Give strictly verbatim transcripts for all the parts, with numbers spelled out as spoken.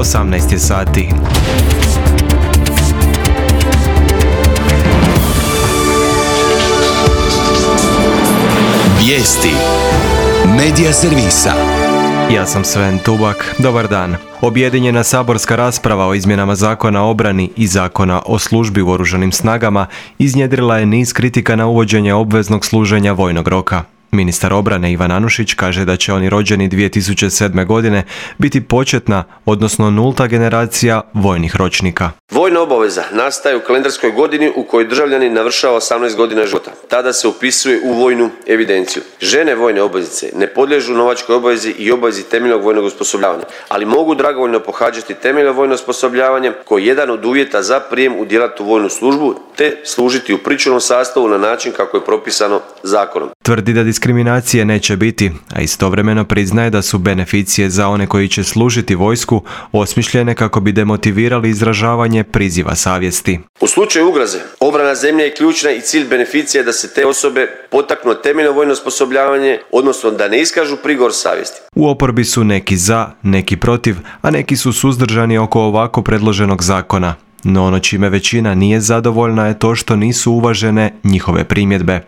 osamnaest je sati. Vijesti Medija servisa. Ja sam Sven Tubak. Dobar dan. Objedinjena saborska rasprava o izmjenama Zakona o obrani i Zakona o službi u oružanim snagama iznjedrila je niz kritika na uvođenje obveznog služenja vojnog roka. Ministar obrane Ivan Anušić kaže da će oni rođeni dvije tisuće sedme. godine biti početna, odnosno nulta generacija vojnih ročnika. Vojna obaveza nastaje u kalendarskoj godini u kojoj državljanin navršava osamnaest godina života. Tada se upisuje u vojnu evidenciju. Žene vojne obveznice ne podliježu novačkoj obavezi i obavezi temeljnog vojnog osposobljavanja, ali mogu dragovoljno pohađati temeljno vojno osposobljavanje koji je jedan od uvjeta za prijem u djelatnu vojnu službu te služiti u pričuvnom sastavu na način kako je propisano zakonom. Tvrdi da diskriminacije neće biti, a istovremeno priznaje da su beneficije za one koji će služiti vojsku osmišljene kako bi demotivirali izražavanje priziva savjesti. U slučaju ugroze, obrana zemlje je ključna i cilj beneficije da se te osobe potaknu temeljno vojno osposobljavanje, odnosno da ne iskažu prigovor savjesti. U oporbi su neki za, neki protiv, a neki su suzdržani oko ovako predloženog zakona. No ono čime većina nije zadovoljna je to što nisu uvažene njihove primjedbe.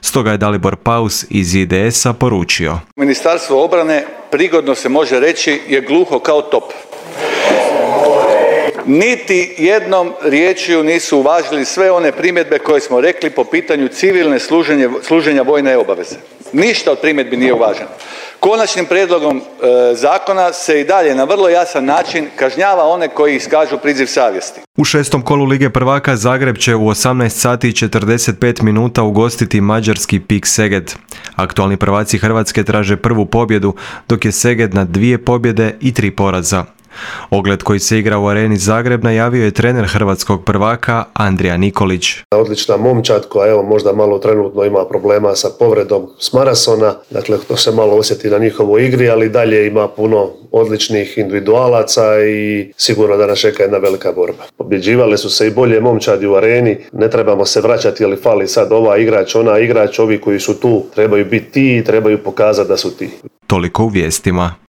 Stoga je Dalibor Paus iz I D S-a poručio: Ministarstvo obrane, prigodno se može reći, je gluho kao top. Niti jednom riječju nisu uvažili sve one primjedbe koje smo rekli po pitanju civilne služenje, služenja vojne obaveze. Ništa od primjedbi nije uvaženo. Konačnim prijedlogom e, zakona se i dalje na vrlo jasan način kažnjava one koji iskažu priziv savjesti. U šestom kolu Lige prvaka Zagreb će u osamnaest sati i četrdeset pet minuta ugostiti mađarski Pik Szeged. Aktualni prvaci Hrvatske traže prvu pobjedu, dok je Szeged na dvije pobjede i tri poraza. Ogled koji se igra u areni Zagreb najavio je trener hrvatskog prvaka Andrija Nikolić. Odlična momčad koja evo možda malo trenutno ima problema sa povredom Smarasona, dakle to se malo osjeti na njihovoj igri, ali dalje ima puno odličnih individualaca i sigurno da nas čeka jedna velika borba. Pobjeđivale su se i bolje momčadi u areni, ne trebamo se vraćati ali fali sad ova igrač, ona igrač, ovi koji su tu trebaju biti ti i trebaju pokazati da su ti. Toliko u vijestima.